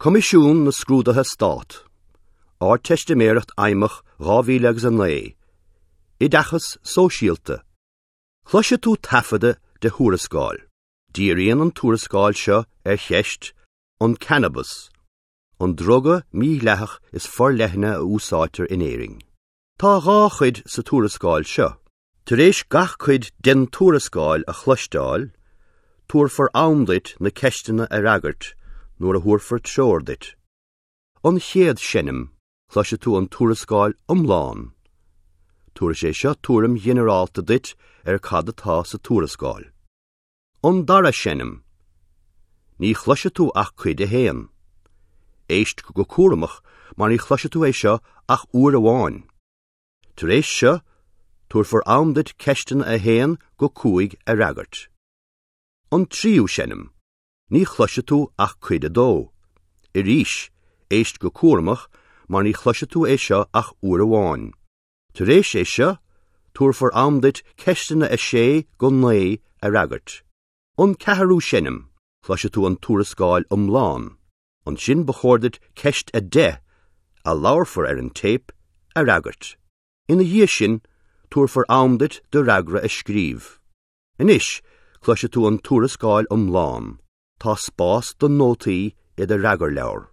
Coimisiún na Scrúduithe Stát, Ardteistiméireacht Fheidhmeach 2000 agus 9, Oideachas Sóisialta. Cloisfidh tú taifeadadh de thuarascáil. Díríonn an tuarascáil seo ar cheist an cannabas, an druga mídhleathach is forleithne a úsáidtear in Éirinn. Tá dhá chuid sa tuarascáil seo. Tar éis gach cuid den tuarascáil a chloisteáil, tabharfar am duit na ceisteanna a fhreagairt nuair a thabharfar treoir duit. An chéad seinm, cloisfidh tú an tuarascáil iomlán. Tabharfaidh sé seo tuairim ghinearálta duit ar cad atá sa tuarascáil. An dara seinm, ní chloisfidh tú ach cuid a haon. Éist go cúramach mar ní chloisfidh tú é seo ach uair amháin. Tar éis seo, tabharfar am duit ceisteanna 1 go 5 a fhreagairt. An tríú seinm, ní chloisfidh tú ach cuid 2. Arís, éist go cúramach mar ní chloisfidh tú é seo ach uair amháin. Tar éis é seo, tabharfar am duit ceisteanna 6 go 9 a fhreagairt. An ceathrú seinm, cloisfidh tú an tuarascáil iomlán. Ansin ba chóir duit ceist 10, a labharfar ar an téip, a fhreagairt. Ina dhiaidh sin, tabharfar am duit do fhreagra a scríobh. Anois, cloisfidh tú an tuarascáil iomlán. Tá spás do nótaí i do fhreagarleabhar.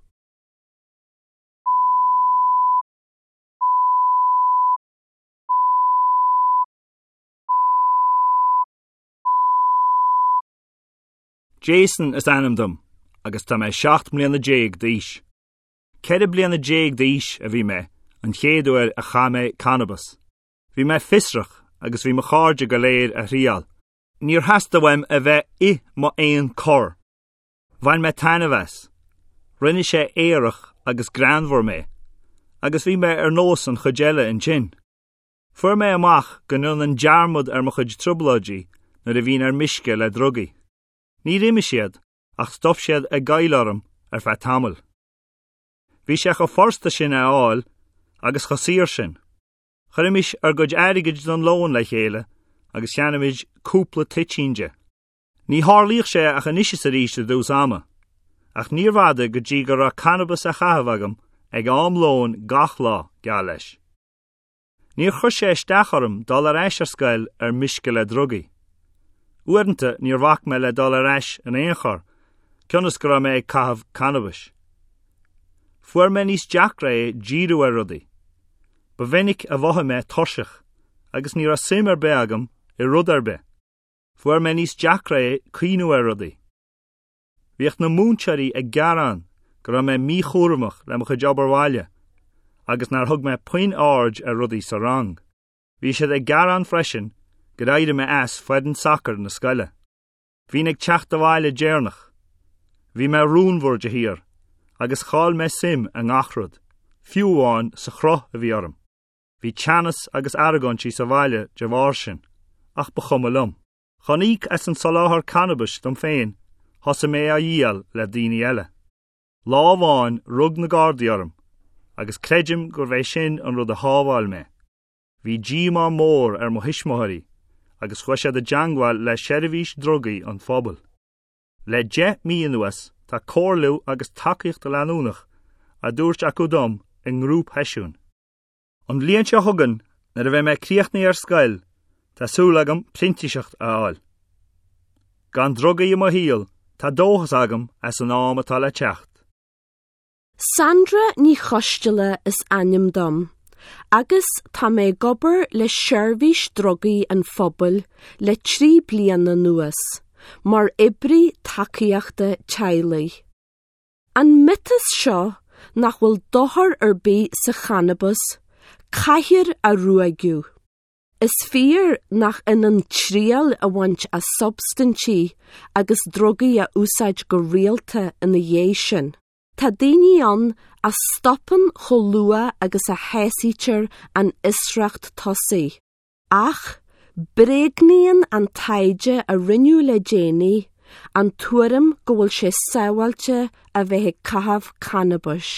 Jason is ainm dom agus tá mé 17 mbliana d'aois. 14 bliana d'aois a bhí mé an chéad uair a chaith mé cannabas. Bhí mé fiosrach agus bhí mo chairde go léir á thriail. Níor theastaigh uaim a bheith i m'aon chor. Bhain mé taitneamh as. Rinne sé aerach agus greannmhar mé, agus bhí mé ar nós an chuid eile ansin. Fuair mé amach go ndéanainn dearmad ar mo chuid trioblóidí nuair a bhínn ar meisce le drugaí. Níor imigh siad, ach stop siad ag goil orm ar feadh tamaill. Bhí sé chomh furasta sin é a fháil agus chomh saor sin. Chuirimis ár gcuid airgid don lón le chéile agus cheannaímis cúpla toitín de. Ní tharlaíodh sé ach anois is arís i dtús ama, ach níorbh fhada go dtí go raibh cannabas á chaitheamh agam ag am lóin gach lá, geall leis. Níor chuir sé isteach orm dul ar ais ar scoil ar meisce le drugaí. Uaireanta níor bhac mé le dul ar ais in aon chor, cionn is go raibh mé ag caitheamh cannabais. Fuair mé níos deacra é díriú ar rudaí. Ba mhinic a mhothaigh mé tuirseach agus ní raibh suim ar bith agam i rud ar bith. Fuair mé níos deacra é cuimhniú ar rudaí. Bhíodh na múinteoirí ag gearán go raibh mé míchúramach le mo chuid obair bhaile agus nár thug mé puinn aird ar rudaí sa rang. Bhí siad ag gearán freisin gur éirigh mé as foireann sacair na scoile. Bhínn ag teacht abhaile deireanach. Bhí mé rúnmhar de shíor agus chaill mé suim i ngach rud, fiú amháin sa chruth a bhí orm. Bhí teannas agus argóintí sa bhaile de bharr sin, ach ba chuma liom. Chun íoc as an soláthar cannabais dom féin, thosaigh mé á dhíol le daoine eile. Lá amháin rug na Gardaí orm, agus creidim gurbh é sin an rud a shábháil mé. Bhí díomá mór ar mo thuismitheoirí agus chuaigh siad i dteangmháil le seirbhís drugaí an phobail. Le 10 mí anuas tá comhairliú agus tacaíocht leanúnach á dtabhairt acu dom i ngrúpsheisiúin. An bhliain seo chugainn, nuair a bheidh mé críochnaithe ar scoil, tá súil agam printíseacht a fháil. Gan drugaí i mo shaol, tá dóchas agam as an am atá le teacht. Sandra Ní Choisteala is ainm dom agus tá mé ag obair le Seirbhís Drugaí an Phobail le 3 bliana anuas, mar oibrí tacaíochta teaghlaigh. An miotas seo nach bhfuil dochar ar bith sa channabas, caithfear a ruaigeadh. Is fíor nach ionann triail a bhaint as substaintí agus drugaí a úsáid go rialta ina dhiaidh sin. Tá daoine ann a stopann chomh luath agus a shásaítear an fhiosracht tosaigh. Ach bréagnaíonn an taighde a rinneadh le déanaí an tuairim go bhfuil sé sábháilte a bheith ag caitheamh cannabais.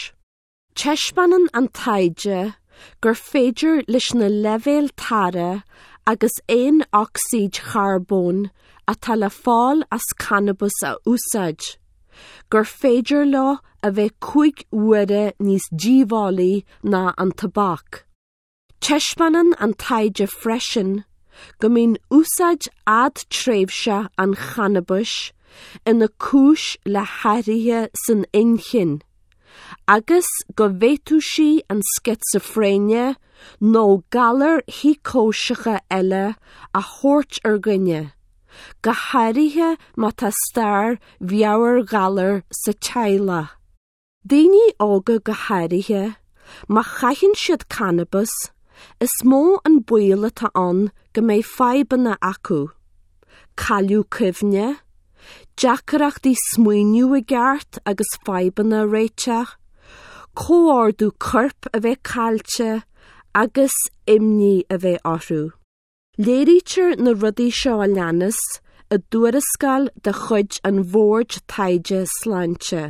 Taispeánann an taighde gur féidir leis na leibhéil tarra agus aonocsaíd charbóin atá le fáil as cannabas a úsáid, gur féidir leo a bheith 5 huaire níos díobhálaí ná an tobac. Taispeánann an taighde freisin go mbíonn úsáid fhadtréimhseach an channabais ina cúis le hathruithe san inchinn agus go bhféadfadh sí an sceitsifréine nó galair shíocóiseacha eile a thabhairt ar dhuine, go háirithe má tá stair mheabhairghalair sa teaghlach. Daoine óga go háirithe, má chaitheann siad cannabas, is mó an baol atá ann go mbeidh fadhbanna acu, cailleadh cuimhne, deacrachtaí smaoineamh i gceart agus fadhbanna a réiteach, comhordú coirp a bheith caillte agus imní a bheith orthu. Léirítear na rudaí seo a leanas i dtuarascáil de chuid an Bhoird Taighde Sláinte.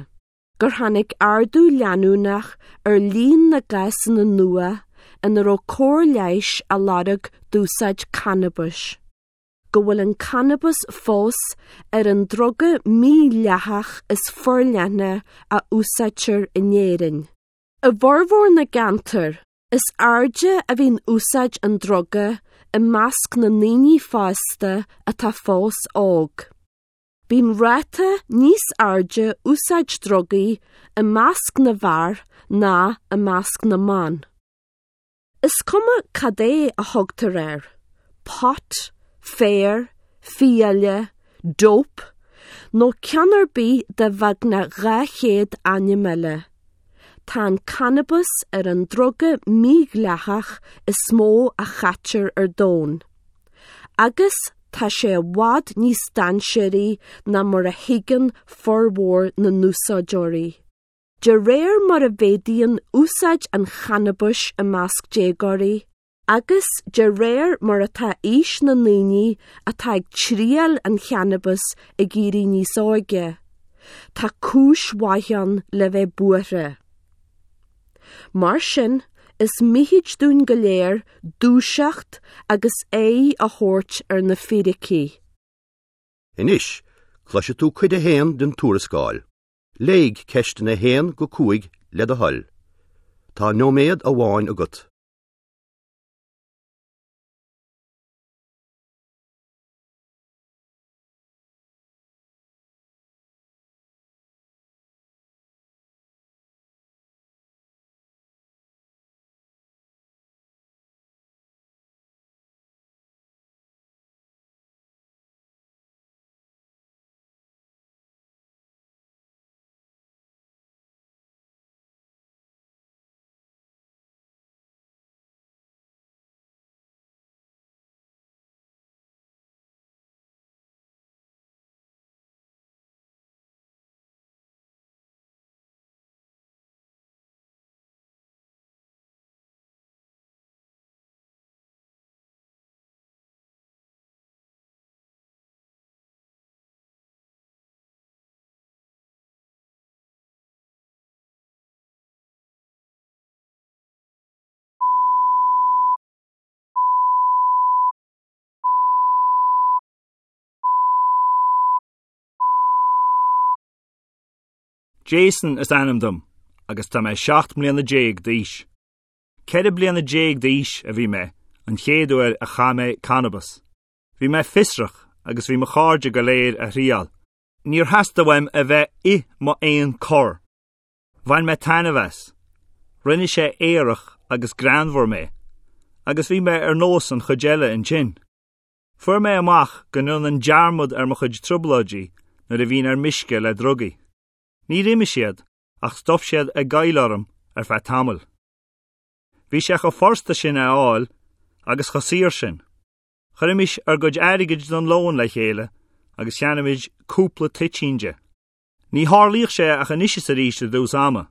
gur tháinig ardú leanúnach ar líon na gcásanna nua ina raibh cóir leighis á lorg d'úsáid cannabais, go bhfuil an cannabas fós ar an druga mídhleathach is forleithne a úsáidtear in Éirinn. I bhformhór na gceantar, is airde a bhíonn úsáid an druga i measc na ndaoine fásta atá fós óg. Bíonn ráta níos airde úsáid drugaí i measc na bhfear ná i measc na mban. Is cuma cad é a thugtar air, pot, féar, fiaile, dope, nó ceann ar bith de bheagnach 200 ainm eile, tá an cannabas ar an druga mídhleathach is mó a chaitear ar domhan. Agus tá sé i bhfad níos dainséaraí ná mar a thuigeann formhór na n-úsáideoirí. De réir mar a mhéadaíonn úsáid an channabais i measc déagóirí, agus de réir mar atá aois na ndaoine atá ag triail an channabais ag éirí níos óige, tá cúis mhaith ann le bheith buartha. Mar sin, is mithid dúinn go léir dúiseacht agus aghaidh a thabhairt ar na fíricí. Anois, cloisfidh tú cuid a haon den tuarascáil. Léigh ceisteanna 1 go 5 le do thoil. Tá nóiméad amháin agat. Jason is ainm dom agus tá mé 17 mbliana d'aois. 14 bliana d'aois a bhí mé an chéad uair a chaith mé cannabas. Bhí mé fiosrach agus bhí mo chairde go léir á thriail. Níor theastaigh uaim a bheith i m'aon chor. Bhain mé taitneamh as. Rinne sé aerach agus greannmhar mé, agus bhí mé ar nós an chuid eile ansin. Fuair mé amach go ndéanainn dearmad ar mo chuid trioblóidí nuair a bhínn ar meisce le drugaí. Níor imigh siad, ach stop siad ag goil orm ar feadh tamaill. Bhí sé chomh furasta sin é a fháil agus chomh saor sin. Chuirimis ár gcuid airgid don lón le chéile agus cheannaímis cúpla toitín de. Ní tharlaíodh sé ach anois is arís i dtús ama,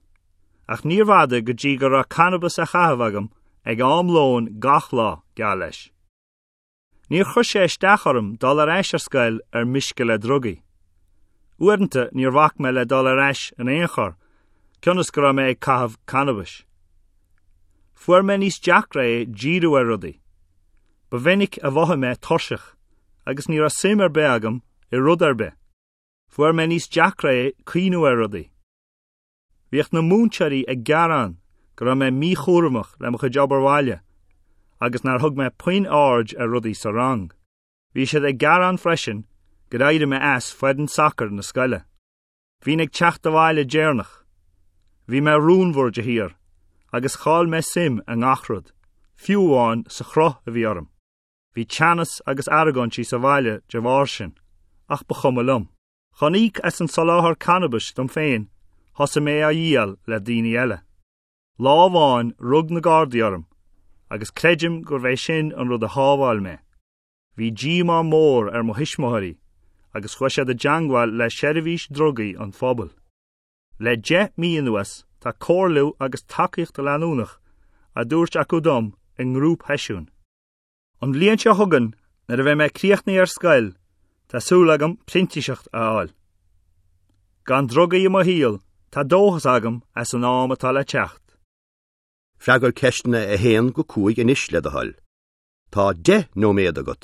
ach níorbh fhada go dtí go raibh cannabas á chaitheamh agam ag am lóin gach lá, geall leis. Níor chuir sé isteach orm dul ar ais ar scoil ar meisce le drugaí. Uaireanta níor bhac mé le dul ar ais in aon chor, cionn is go raibh mé ag caitheamh cannabais. Fuair mé níos deacra é díriú ar rudaí. Ba mhinic a mhothaigh mé tuirseach agus ní raibh suim ar bith agam i rud ar bith. Fuair mé níos deacra é cuimhniú ar rudaí. Bhíodh na múinteoirí ag gearán go raibh mé míchúramach le mo chuid obair bhaile agus nár thug mé puinn aird ar rudaí sa rang. Bhí siad ag gearán freisin gur éirigh mé as foireann sacair na scoile. Bhínn ag teacht abhaile deireanach. Bhí mé rúnmhar de shíor agus chaill mé suim i ngach rud, fiú amháin sa chruth a bhí orm. Bhí teannas agus argóintí sa bhaile de bharr sin, ach ba chuma liom. Chun íoc as an soláthar cannabais dom féin, thosaigh mé á dhíol le daoine eile. Lá amháin rug na Gardaí orm, agus creidim gurbh é sin an rud a shábháil mé. Bhí díomá mór ar mo thuismitheoirí agus chuaigh siad i dteangmháil le Seirbhís Drugaí an Phobail. Le 10 mí anuas tá comhairliú agus tacaíocht leanúnach á dtabhairt acu dom i ngrúpsheisiúin. An bhliain seo chugainn nuair a bheidh mé críochnaithe ar scoil tá súil agam printíseacht a fháil. Gan drugaí i mo shaol tá dóchas agam as an am atá le teacht. Freagair ceisteanna 1 go 5 anois le do thoil. Tá 10 nóiméad agat.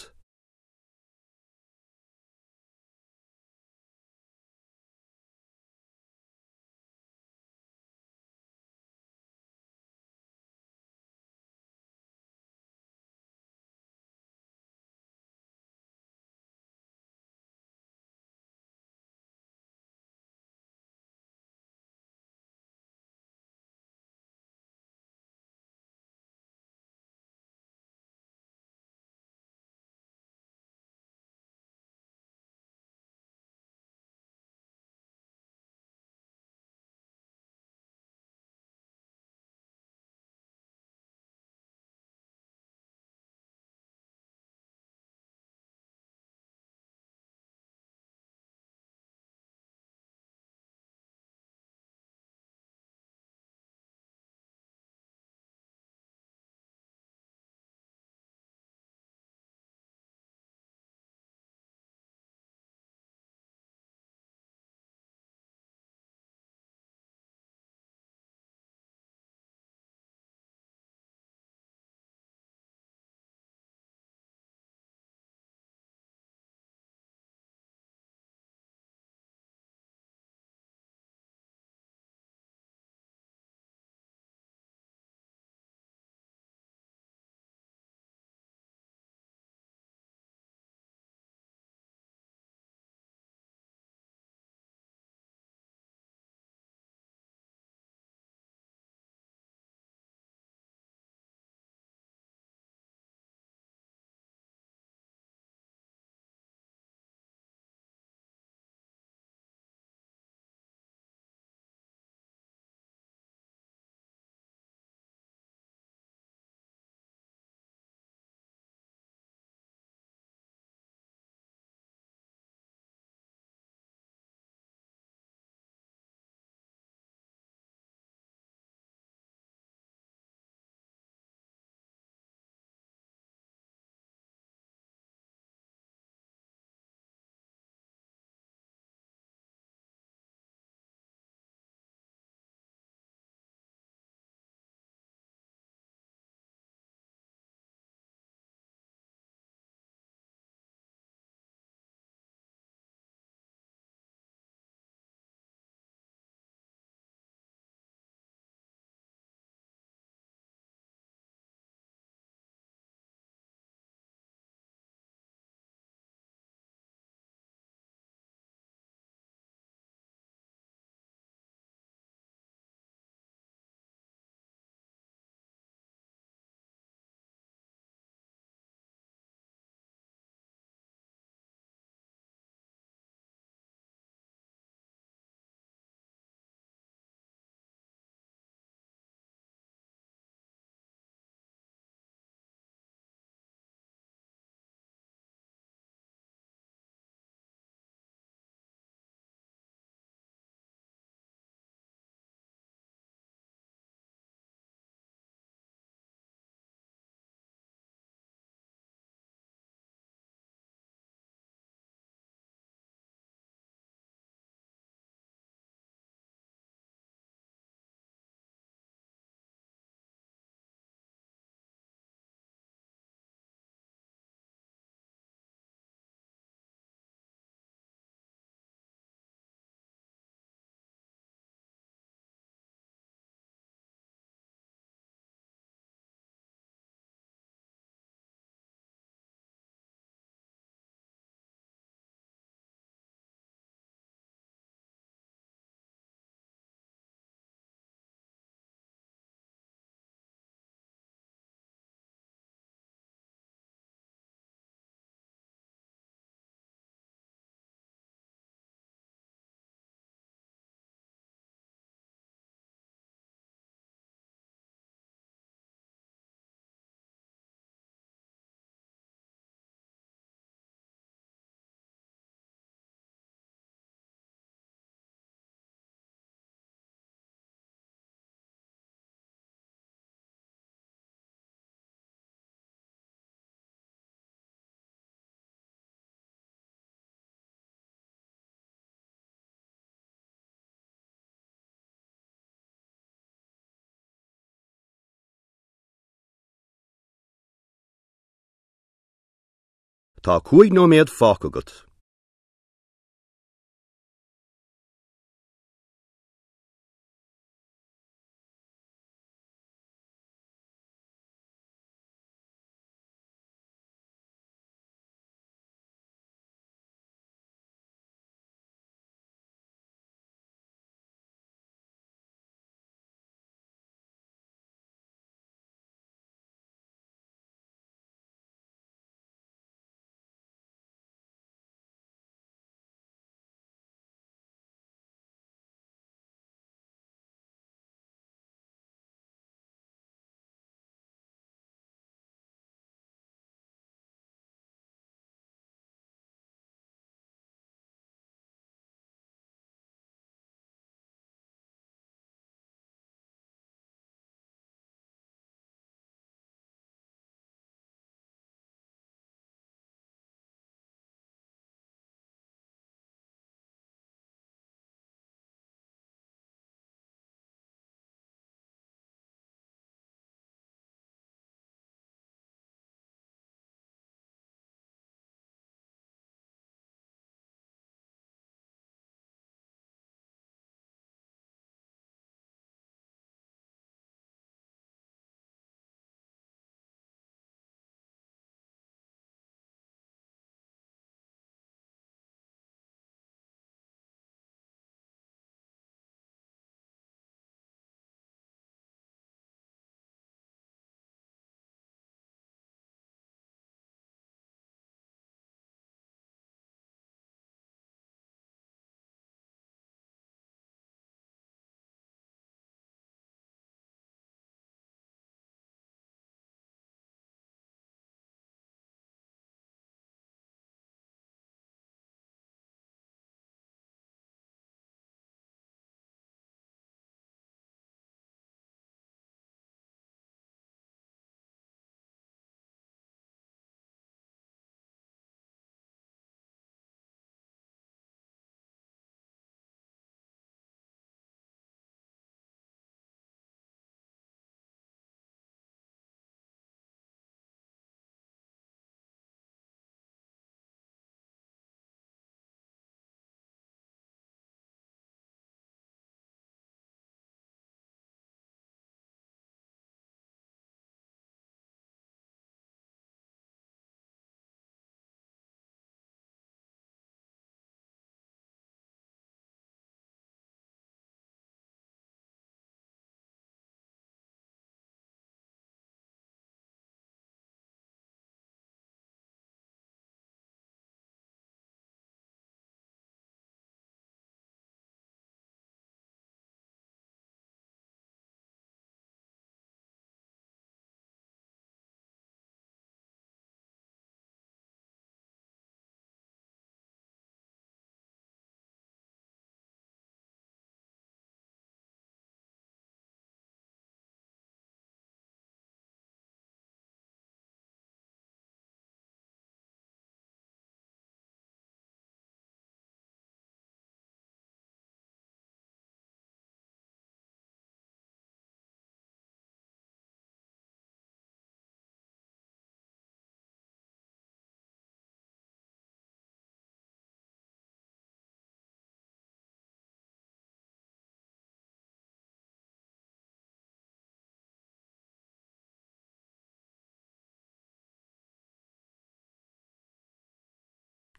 Tá 5 nóiméad fágtha agat.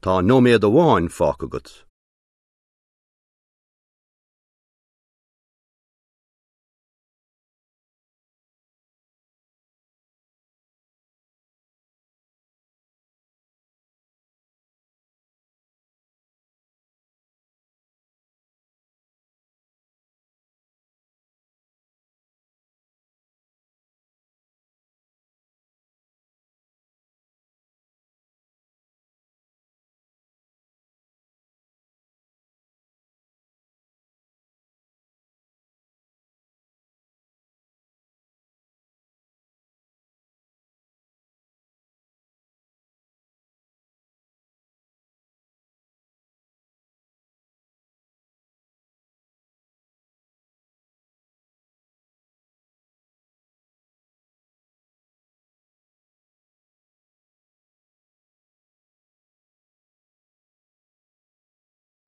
Tá nóiméad amháin fágtha agat.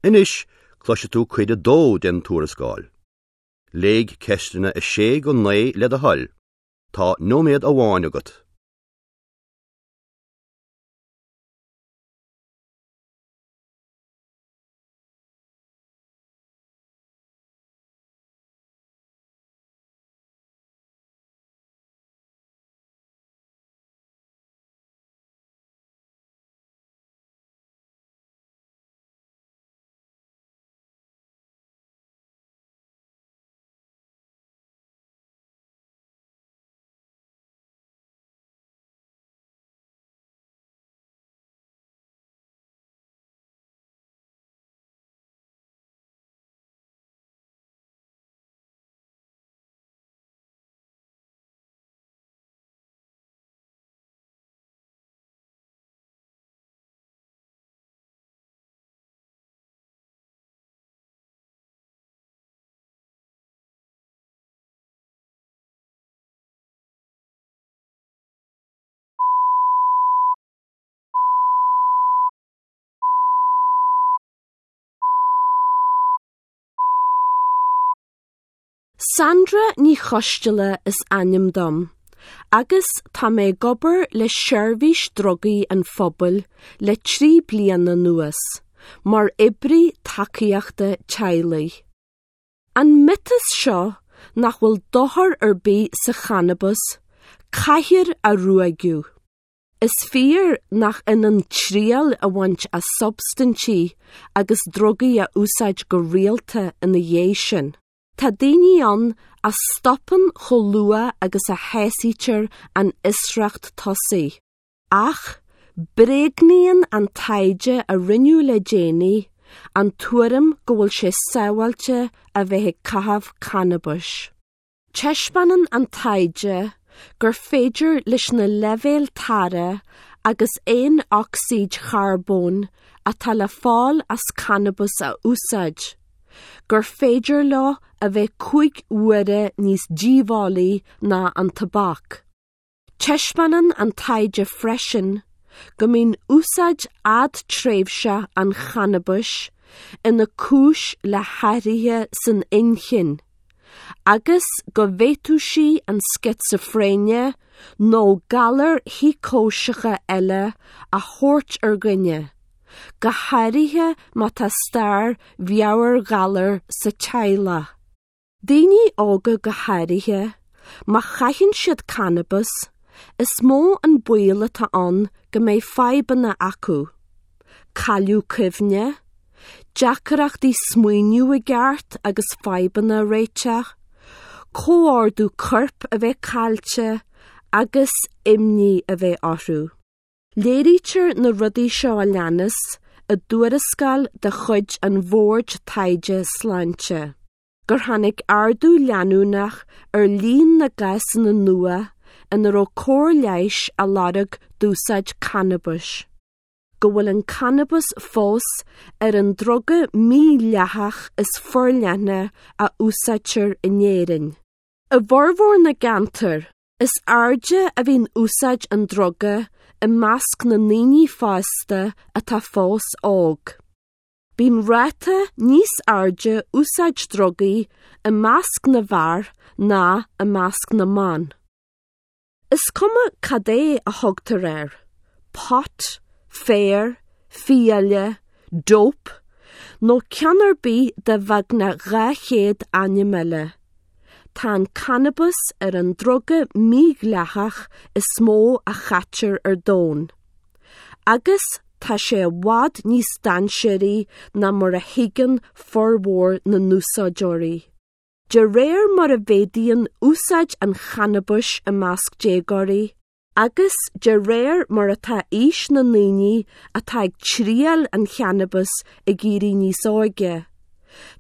Anois cloisfidh tú cuid a dó den tuarascáil. Léigh ceisteanna 6 go 9 le do thoil. Tá nóiméad amháin agat. Sandra Ní Choisteala is ainm dom, agus tá mé ag obair le Seirbhís Drugaí an Phobail le 3 bliana anuas, mar oibrí tacaíochta teaghlaigh. An miotas seo nach bhfuil dochar ar bith sa channabas, caithfear a ruaigeadh. Is fíor nach ionann triail a bhaint as substaintí agus drugaí a úsáid go rialta ina dhiaidh sin. Tá daoine ann a stopann chomh luath agus a shásaítear an fhiosracht tosaigh. Ach bréagnaíonn an taighde a rinneadh le déanaí an tuairim go bhfuil sé sábháilte a bheith ag caitheamh cannabais. Taispeánann an taighde gur féidir leis na leibhéil tarra agus aonocsaíd charbóin atá le fáil as cannabas a úsáid, gur féidir leo a bheith 5 huaire níos díobhálaí ná an tobac. Taispeánann an taighde freisin go mbíonn úsáid fhadtréimhseach an channabais ina cúis le hathruithe san inchinn, agus go bhféadfadh sí an sciosóifréine nó galair shíocóiseacha eile a thabhairt ar dhuine, go háirithe má tá stair mheabhairghalair sa teaghlach. Daoine óga go háirithe, má chaitheann siad cannabas, is mó an baol atá ann go mbeidh fadhbanna acu, cailleadh cuimhne, deacrachtaí smaoineamh i gceart agus fadhbanna a réiteach, comhordú coirp a bheith caillte agus imní a bheith orthu. Léirítear na rudaí seo a leanas i dtuarascáil de chuid an Bhoird Taighde Sláinte, gur tháinig ardú leanúnach ar líon na gcásanna nua ina raibh cóir leighis á lorg d'úsáid cannabais, go bhfuil an cannabas fós ar an druga mídhleathach is forleithne a úsáidtear in Éirinn. I bhformhór na gceantar, is airde a bhíonn úsáid an druga i measc na ndaoine fásta atá fós óg. Bíonn ráta níos airde úsáid drugaí i measc na bhfear ná i measc na mban. Is cuma cad é a thugtar air, pot, féar, fiaile, dope, nó ceann ar bith de bheagnach 200 ainm eile, tá an cannabas ar an druga mídhleathach is mó a chaitear ar domhan. Agus tá sé i bhfad níos dainséaraí ná mar a thuigeann formhór na n-úsáideoirí. De réir mar a mhéadaíonn úsáid an channabais i measc déagóirí, agus de réir mar atá aois na ndaoine atá ag triail an channabais ag éirí níos óige,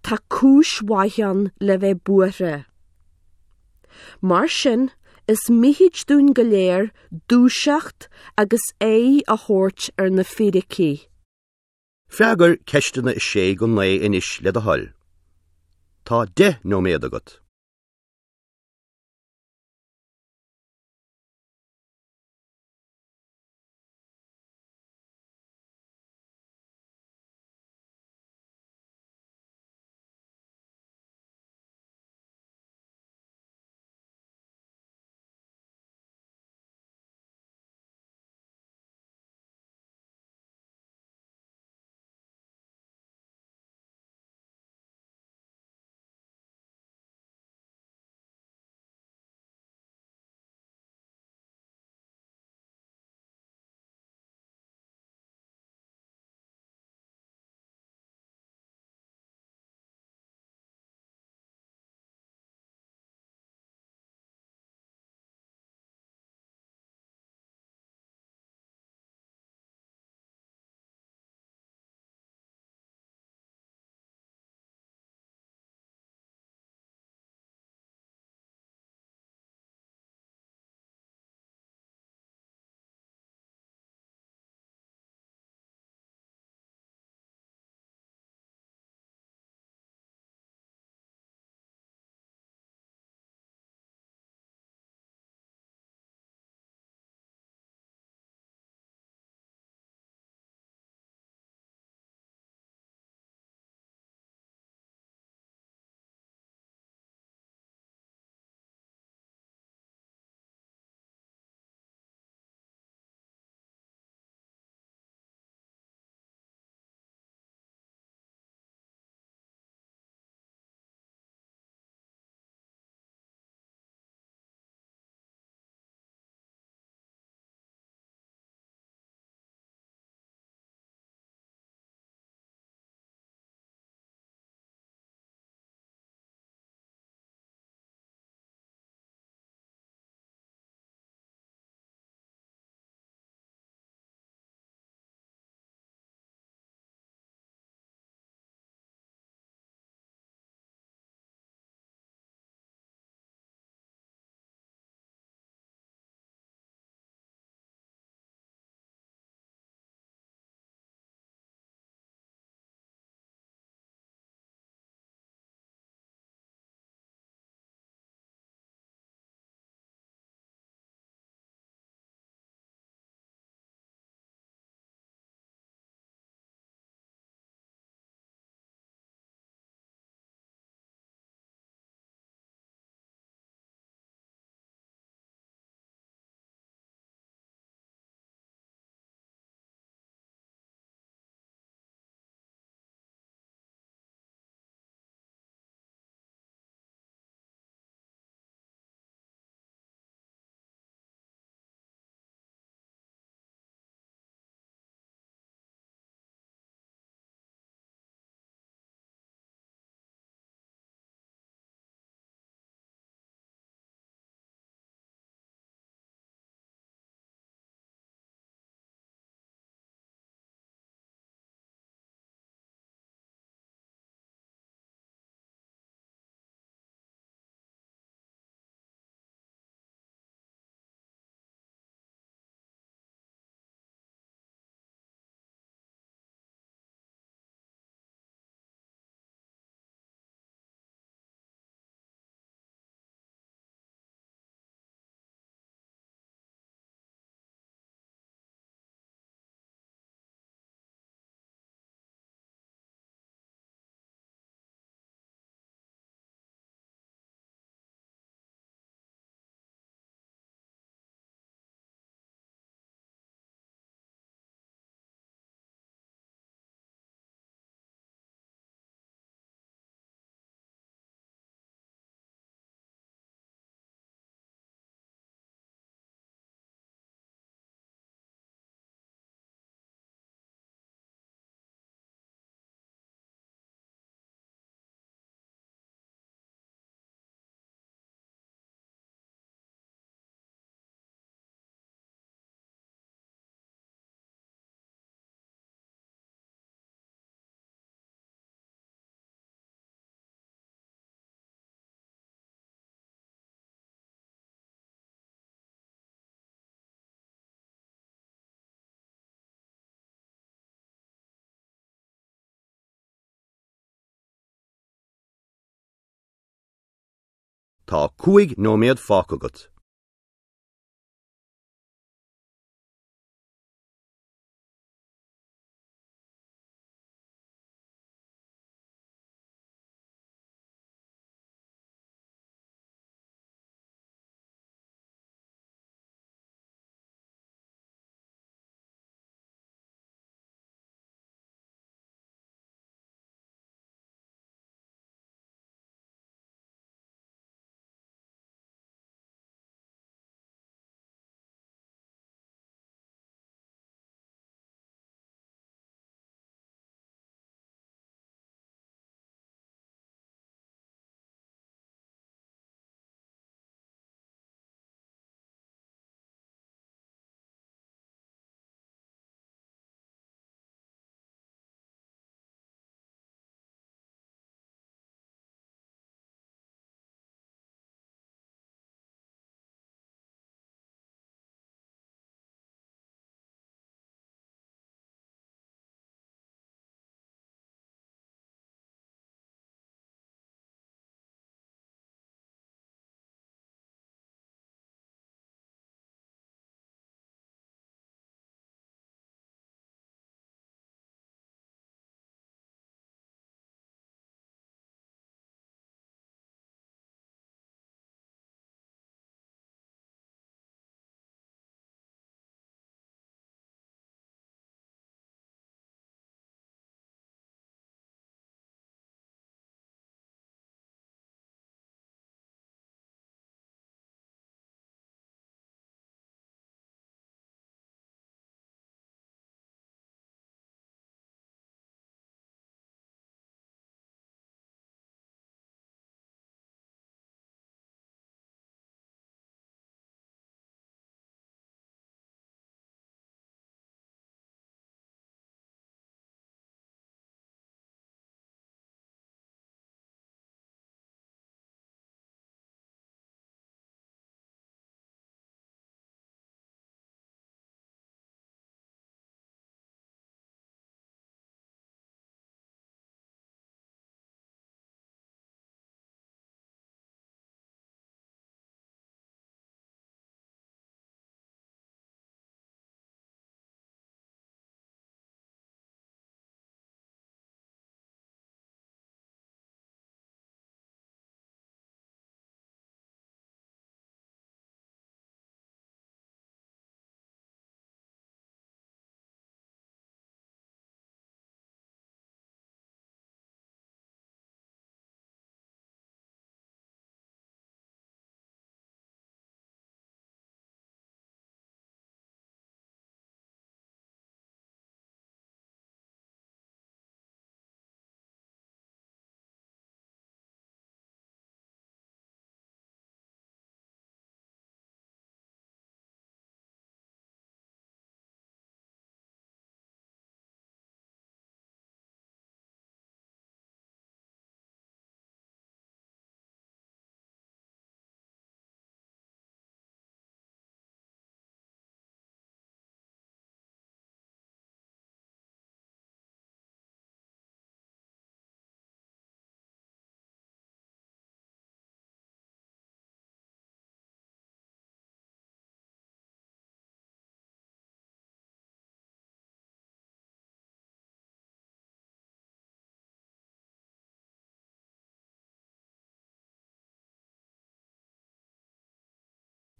tá cúis mhaith ann le bheith buartha. Mar sin, is mithid dúinn go léir dúiseacht agus aghaidh a thabhairt ar na fíricí. Freagair ceisteanna 6 go 9 anois le do thoil. Tá 10 nóiméad agat. Tá 5 nóiméad fágtha agat.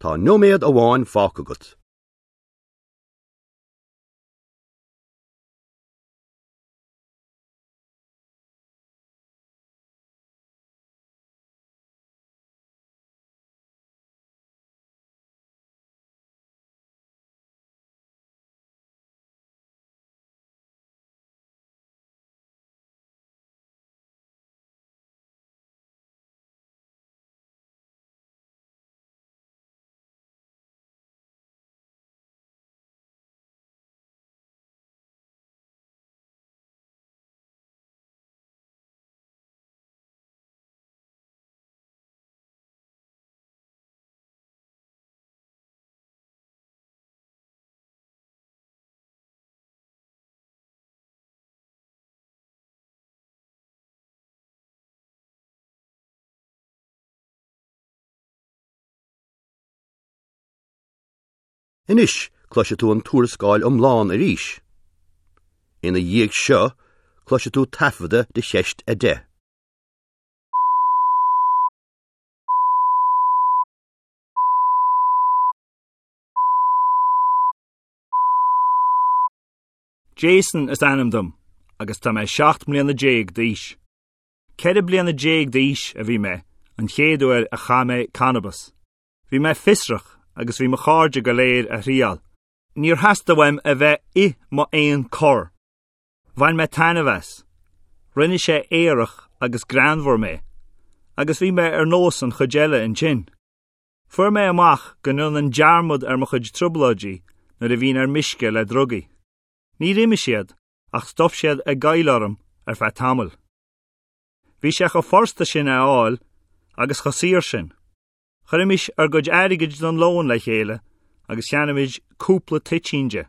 Tá nóiméad amháin fágtha agat. Anois cloisfidh tú an tuarascáil iomlán arís. Ina dhiaidh seo, cloisfidh tú taifeadadh de cheist 10. Jason is ainm dom agus tá mé 17 mbliana d'aois. 14 bliana d'aois a bhí mé an chéad uair a chaith mé cannabas. Bhí mé fiosrach agus bhí mo chairde go léir á thriail. Níor theastaigh uaim a bheith i m'aon chor. Bhain mé taitneamh as. Rinne sé aerach agus greannmhar mé, agus bhí mé ar nós an chuid eile ansin. Fuair mé amach go ndéanainn dearmad ar mo chuid trioblóidí nuair a bhínn ar meisce le drugaí. Níor imigh siad, ach stop siad ag goil orm ar feadh tamaill. Bhí sé chomh furasta sin é a fháil agus chomh saor sin. Chuirimis ár gcuid airgid don lón le chéile agus cheannaímis cúpla toitín de.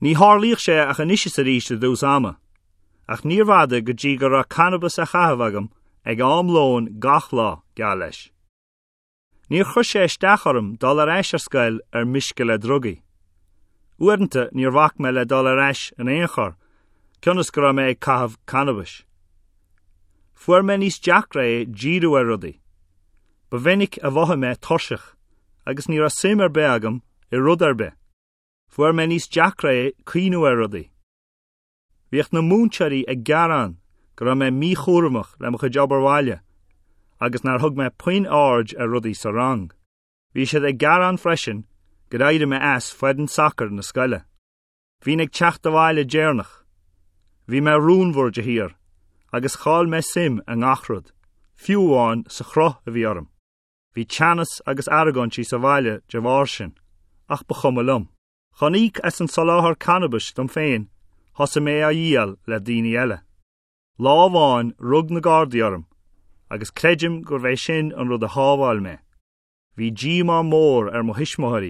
Ní tharlaíodh sé ach anois is arís i dtús ama, ach níorbh fhada go dtí go raibh cannabas á chaitheamh agam ag am lóin gach lá, geall leis. Níor chuir sé isteach orm dul ar ais ar scoil ar meisce le drugaí. Uaireanta níor bhac mé le dul ar ais in aon chor, cionn is go raibh mé ag caitheamh cannabais. Fuair mé níos deacra é díriú ar rudaí. Ba mhinic a mhothaigh mé tuirseach agus ní raibh suim ar bith agam i rud ar bith. Fuair mé níos deacra é cuimhniú ar rudaí. Bhíodh na múinteoirí ag gearán go raibh mé míchúramach le mo chuid obair bhaile agus nár thug mé puinn aird ar rudaí sa rang. Bhí siad ag gearán freisin gur éirigh mé as foireann sacair na scoile. Bhínn ag teacht abhaile deireanach. Bhí mé rúnmhar de shíor, agus chaill mé suim i ngach rud, fiú amháin sa chruth a bhí orm. Bhí teannas agus argóintí sa bhaile de bharr sin, ach ba chuma liom. Chun íoc as an soláthar cannabais dom féin, thosaigh mé á dhíol le daoine eile. Lá amháin rug na Gardaí orm, agus creidim gurbh é sin an rud a shábháil mé. Bhí díomá mór ar mo thuismitheoirí.